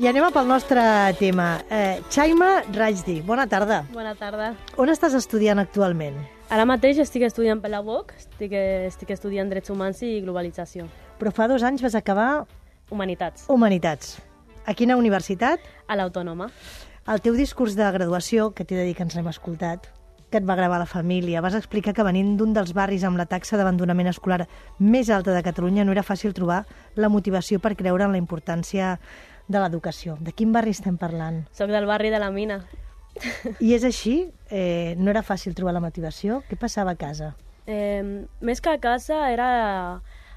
I anem pel nostre tema. Chaima Rajdi, bona tarda. Bona tarda. On estàs estudiant actualment? Ara mateix estic estudiant per la UOC, estic estudiant Drets Humans i Globalització. Però fa 2 anys vas acabar... Humanitats. Humanitats. A quina universitat? A l'Autònoma. El teu discurs de graduació, que t'he de dir que ens l'hem escoltat, que et va gravar la família, vas explicar que venint d'un dels barris amb la taxa d'abandonament escolar més alta de Catalunya no era fàcil trobar la motivació per creure en la importància de l'educació. De quin barri estem parlant? Soc del barri de la Mina. I és així? No era fàcil trobar la motivació? Què passava a casa? Més que a casa era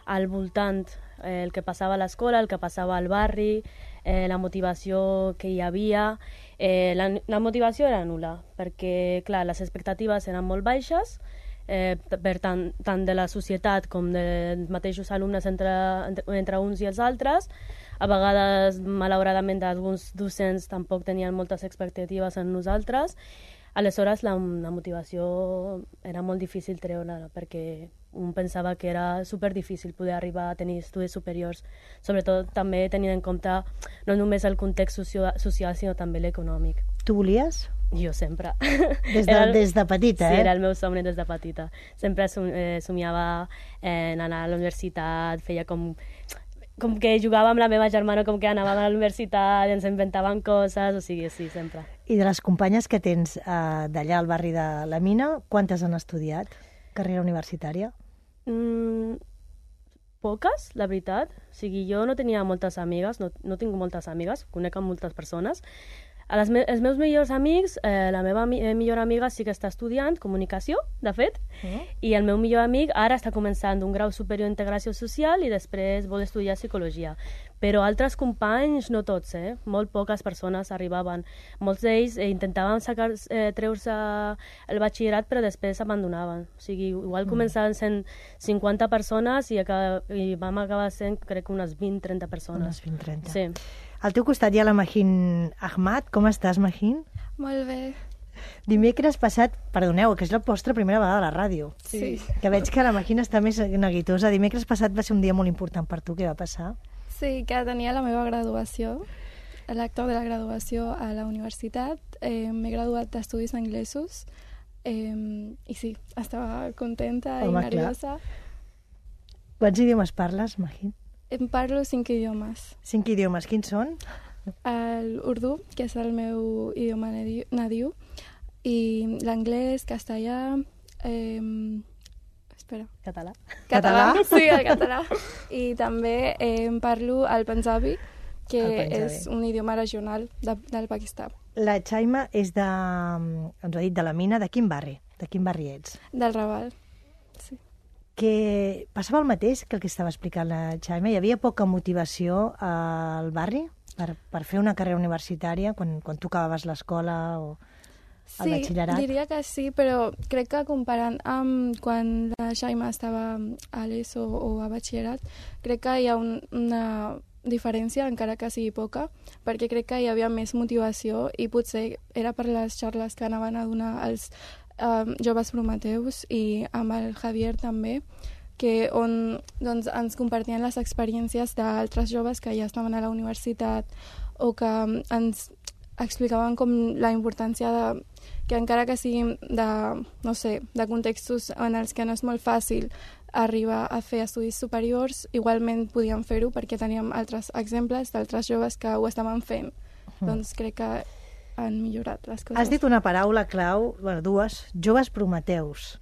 al voltant, el que passava a l'escola, el que passava al barri, la motivació que hi havia. La motivació era nul·la, perquè, clar, les expectatives eren molt baixes, per tant de la societat com dels mateixos alumnes entre uns i els altres. A vegades, malauradament, alguns docents tampoc tenien moltes expectatives en nosaltres. Aleshores, la motivació era molt difícil treure-la, perquè un pensava que era superdifícil poder arribar a tenir estudis superiors, sobretot també tenint en compte no només el context social, sinó també l'econòmic. Tu volies? Jo sempre. Des de petita, Sí, era el meu somni des de petita. Sempre somiava en anar a la universitat, feia com que jugava amb la meva germana, com que anàvem a la universitat, ens inventaven coses, o sigui, sí, sempre. I de les companyes que tens d'allà al barri de la Mina, quantes han estudiat carrera universitària? Poques, la veritat. O sigui, jo no tenia moltes amigues, no tinc moltes amigues, conec amb moltes persones. Els meus millors amics, la meva millor amiga sí que està estudiant comunicació, de fet, i el meu millor amic ara està començant un grau superior d'integració social i després vol estudiar psicologia. Però altres companys, no tots, molt poques persones arribaven. Molts d'ells intentaven treure-se el batxillerat, però després abandonaven. O sigui, igual començaven sent 50 persones i vam acabar sent, crec, unes 20-30 persones. Unes 20-30. Sí. Al teu costat hi ha la Mahin Ahmad. Com estàs, Mahin? Molt bé. Dimecres passat, perdoneu, que és la vostra primera vegada a la ràdio. Sí. Que veig que la Mahin està més neguitosa. Dimecres passat va ser un dia molt important per tu. Què va passar? Sí, que tenia la meva graduació, l'acte de la graduació a la universitat. M'he graduat d'estudis anglesos i sí, estava contenta i nerviosa. Quants idiomes parles, Mahin? Em parlo 5 idiomes. 5 idiomes. Quins són? L'urdú, que és el meu idioma nadiu, i l'anglès, castellà... Català. Català? Sí, el català. I també em parlo el panjabi, que és un idioma regional del Pakistan. La Chaima és de... ens ho ha dit, de la Mina. De quin barri? De quin barri ets? Del Raval, sí. Que passava el mateix que el que estava explicant la Chaima? Hi havia poca motivació al barri per fer una carrera universitària quan tu acabaves l'escola o el batxillerat? Sí, diria que sí, però crec que comparant amb quan la Chaima estava a l'ESO o a batxillerat, crec que hi ha una diferència, encara que sigui poca, perquè crec que hi havia més motivació i potser era per les xarles que anaven a donar els joves prometeus i amb el Javier també, que on doncs, ens compartien les experiències d'altres joves que ja estaven a la universitat o que ens explicaven com la importància que encara que siguin de contextos en els que no és molt fàcil arribar a fer estudis superiors, igualment podíem fer-ho perquè teníem altres exemples d'altres joves que ho estaven fent. Doncs crec que han millorat les coses. Has dit una paraula clau, dues, joves prometeus.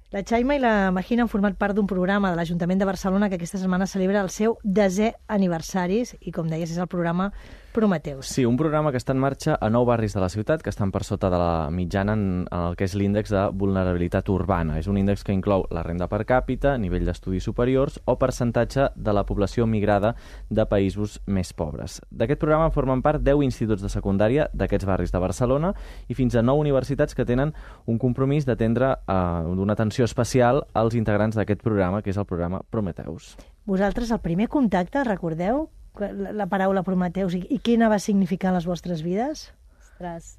La Chaima i la Mahin han format part d'un programa de l'Ajuntament de Barcelona que aquesta setmana celebra el seu 10è aniversari i, com deies, és el programa Prometeus. Sí, un programa que està en marxa a 9 barris de la ciutat que estan per sota de la mitjana en el que és l'índex de vulnerabilitat urbana. És un índex que inclou la renda per càpita, nivell d'estudis superiors o percentatge de la població migrada de països més pobres. D'aquest programa formen part 10 instituts de secundària d'aquests barris de Barcelona i fins a 9 universitats que tenen un compromís d'atendre d'una atenció especial als integrants d'aquest programa, que és el programa Prometeus. Vosaltres, el primer contacte, recordeu la paraula Prometeus i quina va significar en les vostres vides? Ostres,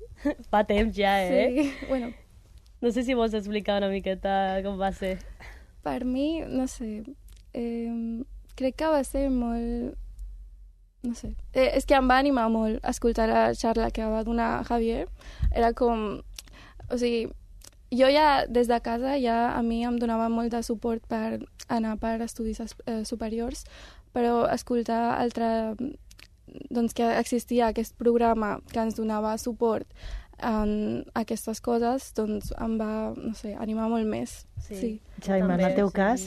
fa temps ja, Sí, bueno. No sé si vols explicar una miqueta com va ser. Per mi, no sé, crec que va ser molt no sé. És que em va animar molt escoltar la xarra que va donar Javier. Era com... O sigui, jo ja, des de casa, ja a mi em donava molt de suport per anar per estudis superiors, però escoltar doncs que existia aquest programa que ens donava suport en aquestes coses, doncs em va, no sé, animar molt més. Sí. Xavi, en el teu cas?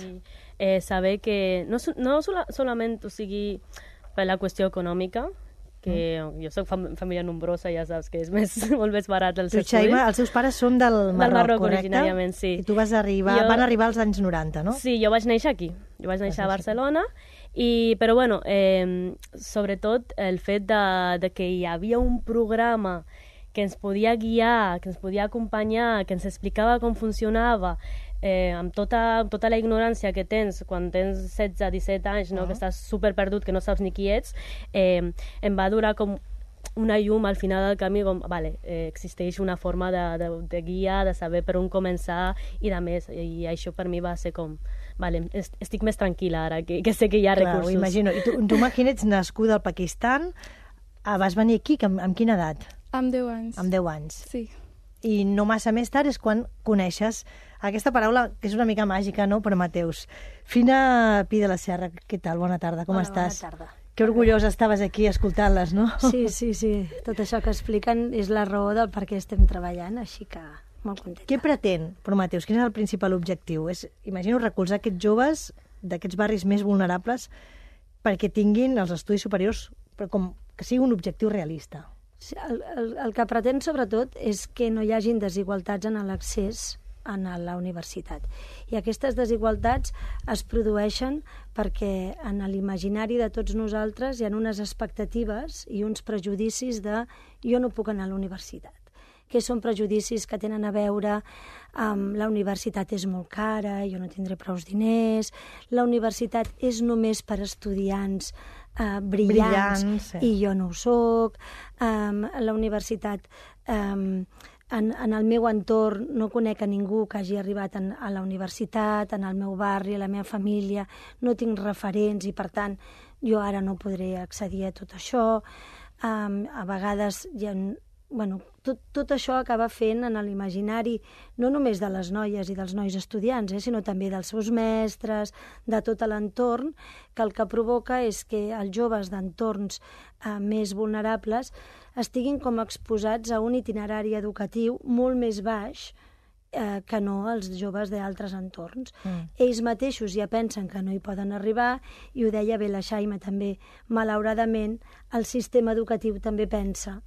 Saber que no solament, o sigui, per la qüestió econòmica, que jo soc família nombrosa, ja saps que és molt més barat els estudis. Xavi, els teus pares són del Marroc, correcte? Originàriament, sí. I tu van arribar als anys 90, no? Sí, jo vaig néixer aquí. Jo vaig néixer a Barcelona, però bueno, sobretot el fet de que hi havia un programa que ens podia guiar, que ens podia acompanyar, que ens explicava com funcionava, amb tota la ignorància que tens quan tens 16-17 anys, no? Que estàs superperdut, que no saps ni qui ets, em va durar com una llum al final del camí, com, existeix una forma de guia, de saber per on començar i de més, i això per mi va ser com, estic més tranquil·la ara, que sé que hi ha recursos. Ho imagino. I tu imagina, ets nascuda al Pakistan, vas venir aquí, amb quina edat? Amb 10 anys. Amb 10 anys. Sí. I no massa més tard és quan coneixes aquesta paraula que és una mica màgica, no?, per Mateus. Fina Pi de la Serra, què tal? Bona tarda, com estàs? Bona tarda. Que orgullosa estaves aquí escoltant-les, no? Sí. Tot això que expliquen és la raó del per què estem treballant, així que molt contenta. Què pretén Prometeus? Quin és el principal objectiu? Imagino recolzar aquests joves d'aquests barris més vulnerables perquè tinguin els estudis superiors, però com que sigui un objectiu realista. El que pretén, sobretot, és que no hi hagin desigualtats en l'accés a la universitat. I aquestes desigualtats es produeixen perquè en l'imaginari de tots nosaltres hi ha unes expectatives i uns prejudicis de jo no puc anar a la universitat. Que són prejudicis que tenen a veure amb la universitat és molt cara, jo no tindré prous diners, la universitat és només per estudiants brillants i jo no ho soc, la universitat, en el meu entorn no conec a ningú que hagi arribat a la universitat, en el meu barri, a la meva família, no tinc referents i per tant jo ara no podré accedir a tot això. A vegades hi ha... Tot això acaba fent en l'imaginari no només de les noies i dels nois estudiants, sinó també dels seus mestres, de tot l'entorn, que el que provoca és que els joves d'entorns més vulnerables estiguin com exposats a un itinerari educatiu molt més baix que no els joves d'altres entorns. Ells mateixos ja pensen que no hi poden arribar, i ho deia bé la Xaima també, malauradament el sistema educatiu també pensa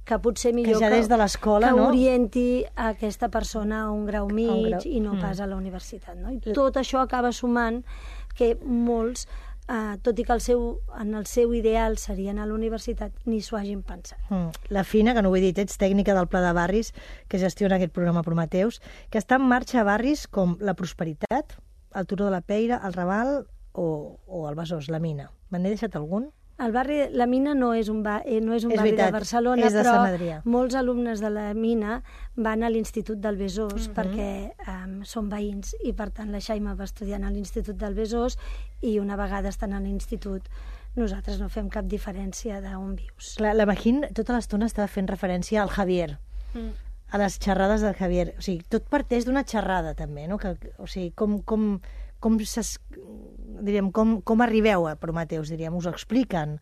que potser millor que ja des de l'escola, que orienti a aquesta persona a un grau mig i no pas a la universitat. No? I tot això acaba sumant que molts, tot i que en el seu ideal serien a la universitat, ni s'ho hagin pensat. La Fina, que no ho he dit, ets tècnica del Pla de Barris, que gestiona aquest programa Prometeus, que està en marxa a barris com la Prosperitat, el Turó de la Peira, el Raval o el Besòs, la Mina. Me n'he deixat algun? El barri, la Mina no és un barri de Barcelona, però molts alumnes de la Mina van a l'Institut del Besòs perquè són veïns, i per tant la Xaima va estudiar a l'Institut del Besòs, i una vegada estan a l'institut nosaltres no fem cap diferència d'on vius. Clar, la Magín tota l'estona estava fent referència al Javier, a les xerrades del Javier. O sigui, tot parteix d'una xerrada també, no? O sigui, com arribeu a Prometeus, diríem, us ho expliquen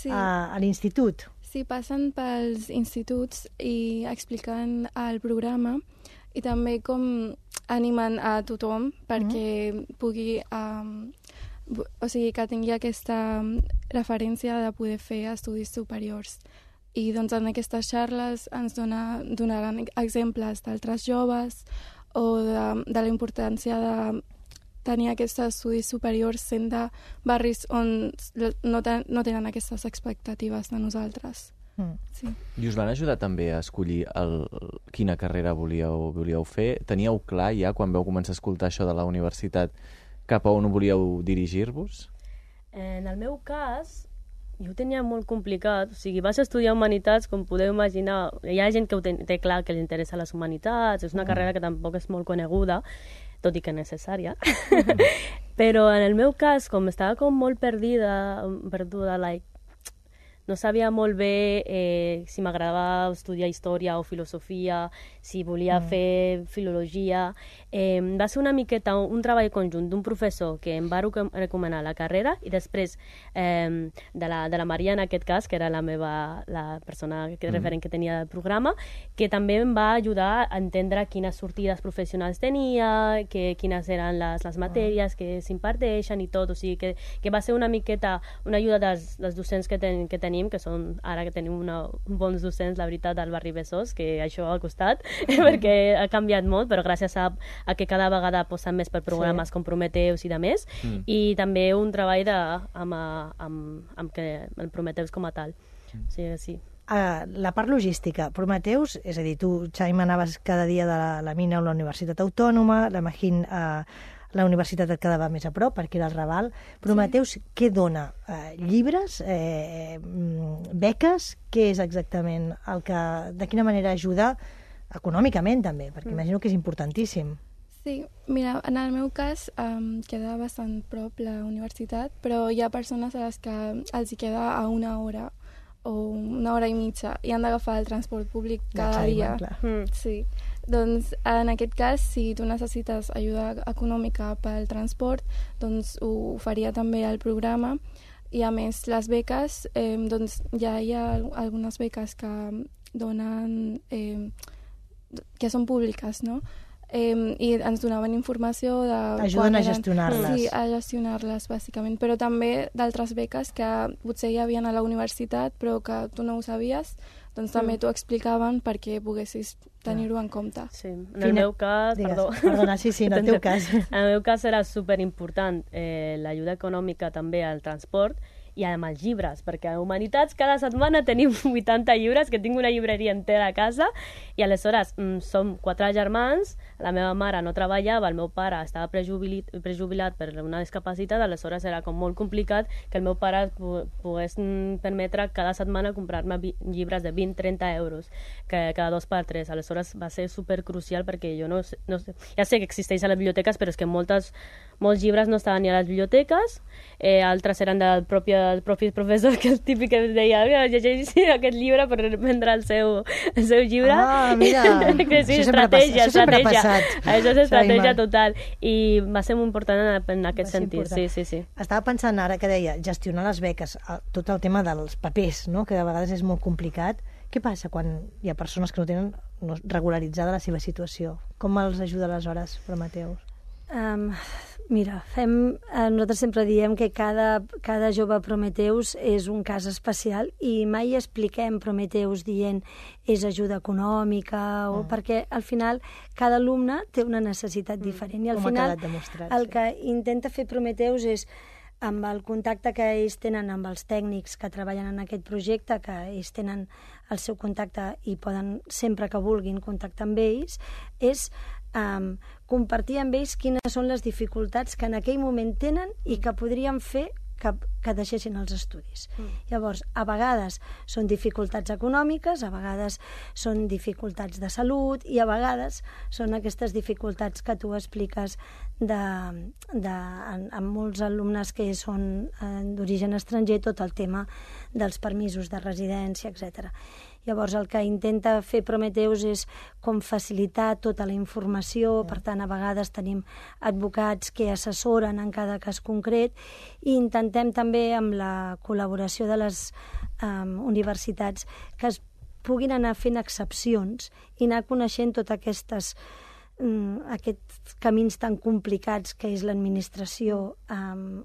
a l'institut? Sí, passen pels instituts i expliquen el programa, i també com animen a tothom perquè pugui, o sigui, que tingui aquesta referència de poder fer estudis superiors. I doncs en aquestes xarles ens donaran exemples d'altres joves o de la importància de tenir aquests estudis superiors sent de barris on no tenen aquestes expectatives de nosaltres. Sí. I us van ajudar també a escollir quina carrera volíeu fer? Teníeu clar ja, quan vau començar a escoltar això de la universitat, cap a on volíeu dirigir-vos? En el meu cas, jo ho tenia molt complicat. O sigui, vaig estudiar humanitats, com podeu imaginar. Hi ha gent que ho té clar, que li interessa les humanitats, és una carrera que tampoc és molt coneguda, tot i que necessària. Però en el meu cas, com estava com molt perduda, no sabia molt bé si m'agradava estudiar història o filosofia, si volia fer filologia. Va ser una miqueta un treball conjunt d'un professor que em va recomanar la carrera i després de la Maria, en aquest cas, que era la persona referent que tenia del programa, que també em va ajudar a entendre quines sortides professionals tenia, quines eren les matèries que s'imparteixen i tot. O sigui, que va ser una miqueta una ajuda dels docents que tenim, que són, ara que tenim bons docents, la veritat, al barri Besòs, que això ha costat, perquè ha canviat molt, però gràcies a que cada vegada aposten més per programes com Prometeus i de més, i també un treball amb el Prometeus com a tal. O sigui, sí. La part logística. Prometeus, és a dir, tu, Xaima, anaves cada dia de la mina a la Universitat Autònoma, la Magín a la universitat et quedava més a prop, perquè era el Raval. Prometeus, què dona? Llibres? Beques? Què és exactament el que... De quina manera ajuda econòmicament, també? Perquè imagino que és importantíssim. Sí, mira, en el meu cas queda bastant prop la universitat, però hi ha persones a les que els hi queda a 1 hora o 1 hora i mitja i han d'agafar el transport públic cada dia. Sí. Doncs en aquest cas, si tu necessites ajuda econòmica pel transport, doncs ho faria també el programa. I a més, les beques, doncs ja hi ha algunes beques que donen, que són públiques, no? I ens donaven informació de... Ajuden a gestionar-les. Sí, a gestionar-les, bàsicament. Però també d'altres beques que potser hi havia a la universitat, però que tu no ho sabies, doncs també t'ho explicaven perquè poguessis tenir-ho en compte. Sí, en el meu cas... Perdona, sí, en el teu cas. En el meu cas era superimportant l'ajuda econòmica també al transport i amb els llibres, perquè a Humanitats cada setmana tenim 80 llibres, que tinc una llibreria entera a casa, i aleshores som 4 germans, la meva mare no treballava, el meu pare estava prejubilat per una discapacitat, aleshores era com molt complicat que el meu pare pogués permetre cada setmana comprar-me llibres de 20-30 euros, que cada 2 per 3. Aleshores va ser supercrucial perquè jo no sé, ja sé que existeix a les biblioteques, però és que molts llibres no estaven ni a les biblioteques, altres eren dels propis professors, que és típic que deia, llegeix aquest llibre per vendre el seu llibre. Ah, mira, que sí, estratègia. Això és estratègia total. I va ser molt important en aquest sentit. Sí. Estava pensant ara que deia gestionar les beques, tot el tema dels papers, no? Que de vegades és molt complicat. Què passa quan hi ha persones que no tenen regularitzada la seva situació? Com els ajuda aleshores, Prometeus? Mira, nosaltres sempre diem que cada jove Prometeus és un cas especial i mai expliquem Prometeus dient és ajuda econòmica o perquè al final cada alumne té una necessitat diferent i al final el que intenta fer Prometeus és amb el contacte que ells tenen amb els tècnics que treballen en aquest projecte, que ells tenen el seu contacte i poden sempre que vulguin contactar amb ells, és compartir amb ells quines són les dificultats que en aquell moment tenen i que podrien fer que deixessin els estudis. Llavors, a vegades són dificultats econòmiques, a vegades són dificultats de salut i a vegades són aquestes dificultats que tu expliques amb molts alumnes que són d'origen estranger, tot el tema dels permisos de residència, etc. Llavors, el que intenta fer Prometeus és com facilitar tota la informació, per tant, a vegades tenim advocats que assessoren en cada cas concret i intentem també, amb la col·laboració de les universitats, que es puguin anar fent excepcions i anar coneixent totes aquests camins tan complicats que és l'administració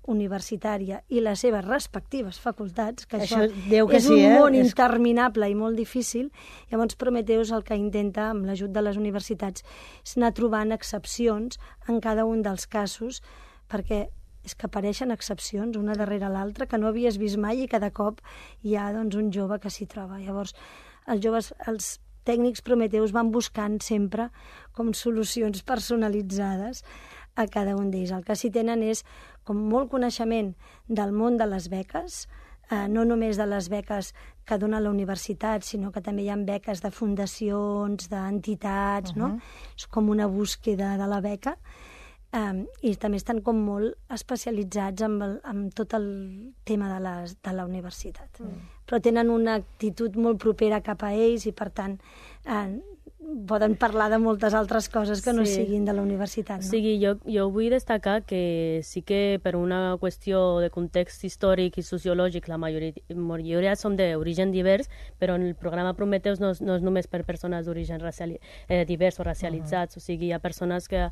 universitària i les seves respectives facultats, que això és un món interminable i molt difícil. Llavors Prometeus el que intenta, amb l'ajut de les universitats, és anar trobant excepcions en cada un dels casos, perquè és que apareixen excepcions una darrere l'altra que no havies vist mai i cada cop hi ha un jove que s'hi troba. Llavors els tècnics Prometeus van buscant sempre com solucions personalitzades a cada un d'ells. El que sí tenen és com molt coneixement del món de les beques, no només de les beques que dona la universitat, sinó que també hi ha beques de fundacions, d'entitats, no? És com una búsqueda de la beca. i també estan com molt especialitzats en tot el tema de la universitat. Però tenen una actitud molt propera cap a ells i, per tant, poden parlar de moltes altres coses que no siguin de la universitat. No? O sigui, jo vull destacar que sí que per una qüestió de context històric i sociològic la majoria són d'origen divers, però en el programa Prometeus no és només per persones d'origen divers o racialitzats, o sigui, hi ha persones que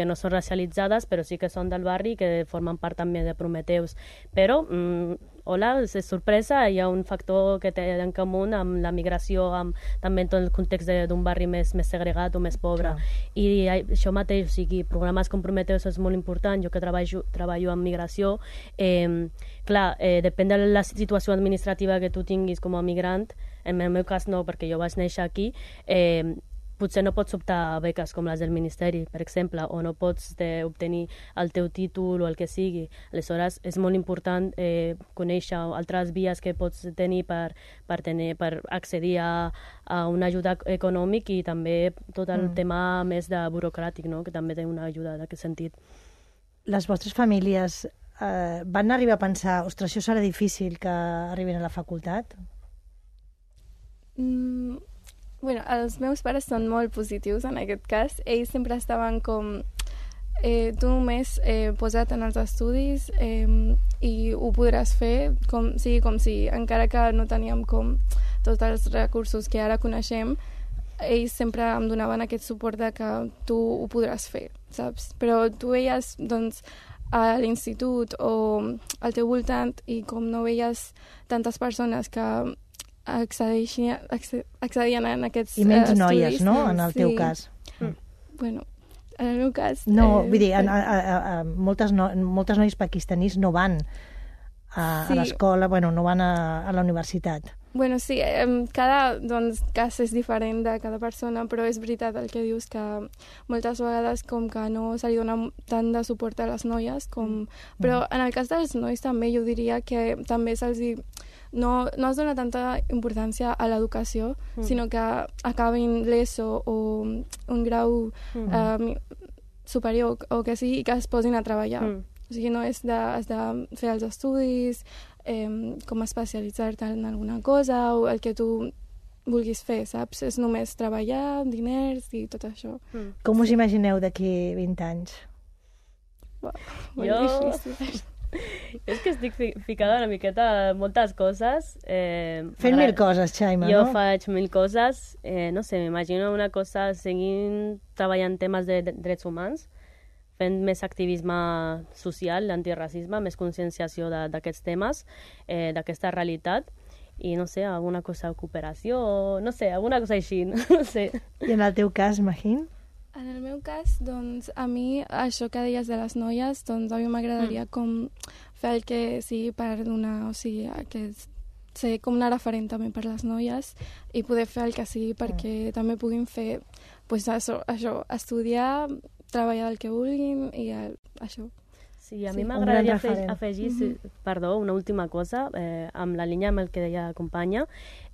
no són racialitzades, però sí que són del barri i que formen part també de Prometeus. Però hola, és sorpresa, hi ha un factor que té en comú amb la migració, també en tot el context d'un barri més segregat o més pobre. I això mateix, o sigui, programes com Prometeus és molt important. Jo que treballo en migració, depèn de la situació administrativa que tu tinguis com a migrant, en el meu cas no, perquè jo vaig néixer aquí, potser no pots optar a beques com les del Ministeri, per exemple, o no pots obtenir el teu títol o el que sigui. Aleshores, és molt important conèixer altres vies que pots tenir per accedir a una ajuda econòmica i també tot el tema més de burocràtic, no? Que també té una ajuda en aquest sentit. Les vostres famílies van arribar a pensar, ostres, això serà difícil que arribin a la facultat? Bueno, els meus pares són molt positius en aquest cas. Ells sempre estaven com tu només posa't en els estudis i ho podràs fer com si, encara que no teníem com tots els recursos que ara coneixem, ells sempre em donaven aquest suport de que tu ho podràs fer, saps? Però tu veies, doncs, a l'institut o al teu voltant i com no veies tantes persones que accedien en aquests I menys estudis. noies, no?, en el teu cas. Bueno, en el meu cas... No, vull dir, moltes noies pakistanis no van a l'escola, bueno, no van a la universitat. Bueno, sí, cada cas és diferent de cada persona, però és veritat el que dius, que moltes vegades com que no se li dona tant de suport a les noies, però en el cas dels nois també jo diria que també se'ls no es dona tanta importància a l'educació, sinó que acabin l'ESO o un grau superior o que sigui, i que es posin a treballar. O sigui, no és de fer els estudis, com especialitzar-te en alguna cosa o el que tu vulguis fer, saps? És només treballar, diners i tot això. Com us imagineu d'aquí 20 anys? Molt difícil. És que estic ficada una miqueta en moltes coses. Fent mil coses, Xaima, no? Jo faig mil coses. No sé, m'imagino una cosa seguint treballant temes de drets humans, fent més activisme social, l'antiracisme, més conscienciació d'aquests temes, d'aquesta realitat, i no sé, alguna cosa de cooperació, no sé, alguna cosa així, no sé. I en el teu cas, Magín? En el meu cas, doncs, a mi, això que deies de les noies, doncs a mi m'agradaria com fer el que sigui per donar, o sigui, que ser com una referent també per les noies i poder fer el que sigui perquè també puguin fer, pues, això, estudiar, treballar del que vulguin i això. Sí, a mi m'agradaria afegir, perdó, una última cosa, amb la línia amb el que deia la companya.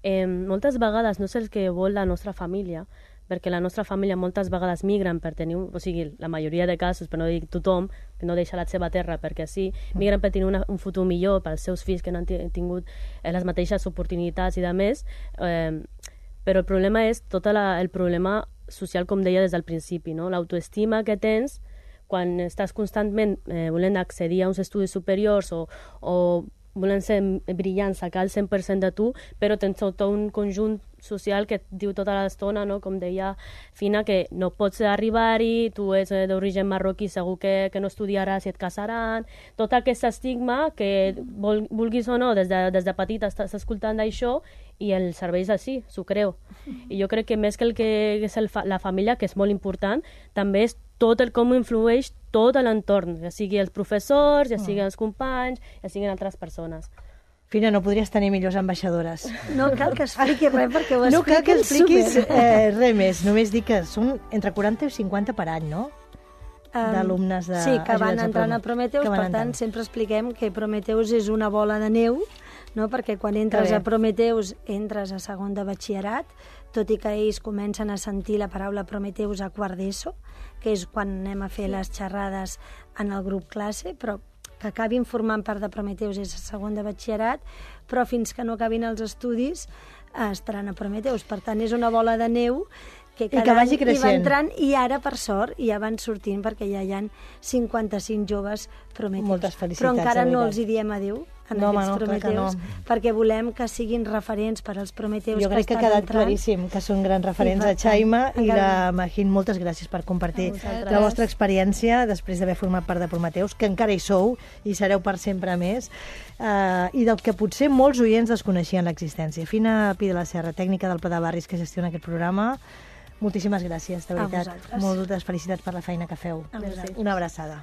Moltes vegades no és el que vol la nostra família, perquè la nostra família moltes vegades migren per tenir, o sigui, la majoria de casos, per no dir tothom, que no deixa la seva terra perquè sí, migren per tenir un futur millor pels seus fills que no han tingut les mateixes oportunitats i de més, però el problema és tot el problema social, com deia des del principi, no? L'autoestima que tens quan estàs constantment volent accedir a uns estudis superiors o volent ser brillant, sacar el 100% de tu, però tens tot un conjunt social que et diu tota l'estona, no? Com deia Fina, que no pots arribar-hi, tu ets d'origen marroquí, segur que no estudiaràs i et casaran, tot aquest estigma que vulguis o no, des de petit estàs escoltant d'això i el cervell és així, s'ho creu. I jo crec que més que el que és la família, que és molt important, també és tot el com influeix tot l'entorn, ja sigui els professors, ja siguin els companys, ja siguin altres persones. Fina, no podries tenir millors ambaixadores. No cal que expliquis res perquè ho No cal que expliquis super. res més, només dir que són entre 40 i 50 per any, no? D'alumnes de... Sí, que van entrant a Prometeus, per tant, sempre expliquem que Prometeus és una bola de neu, no? Perquè quan entres a Prometeus entres a segon de batxillerat, tot i que ells comencen a sentir la paraula Prometeus a quart d'ESO, que és quan anem a fer les xerrades en el grup classe, però que acabin formant part de Prometeus és a segon de batxillerat, però fins que no acabin els estudis estaran a Prometeus. Per tant, és una bola de neu que cada vagi any hi va creixent. entrant, i ara, per sort, ja van sortint perquè ja hi ha 55 joves Prometeus. Moltes felicitats, però encara de no veritat. els hi diem adéu en No, home, aquests no, clar que Prometeus, no. perquè volem que siguin referents per als Prometeus Jo crec que ha estan quedat entrant. claríssim que són grans referents per a Xaima tant, i encara la Magín. Moltes gràcies per compartir A vosaltres. la vostra experiència després d'haver format part de Prometeus, que encara hi sou i sereu per sempre més, i del que potser molts oients desconeixien l'existència. Fina Pi de la Serra, tècnica del Pla de Barris que gestiona aquest programa, moltíssimes gràcies, de A veritat. vosaltres. Moltes felicitats per la feina que feu. A vosaltres. Una abraçada.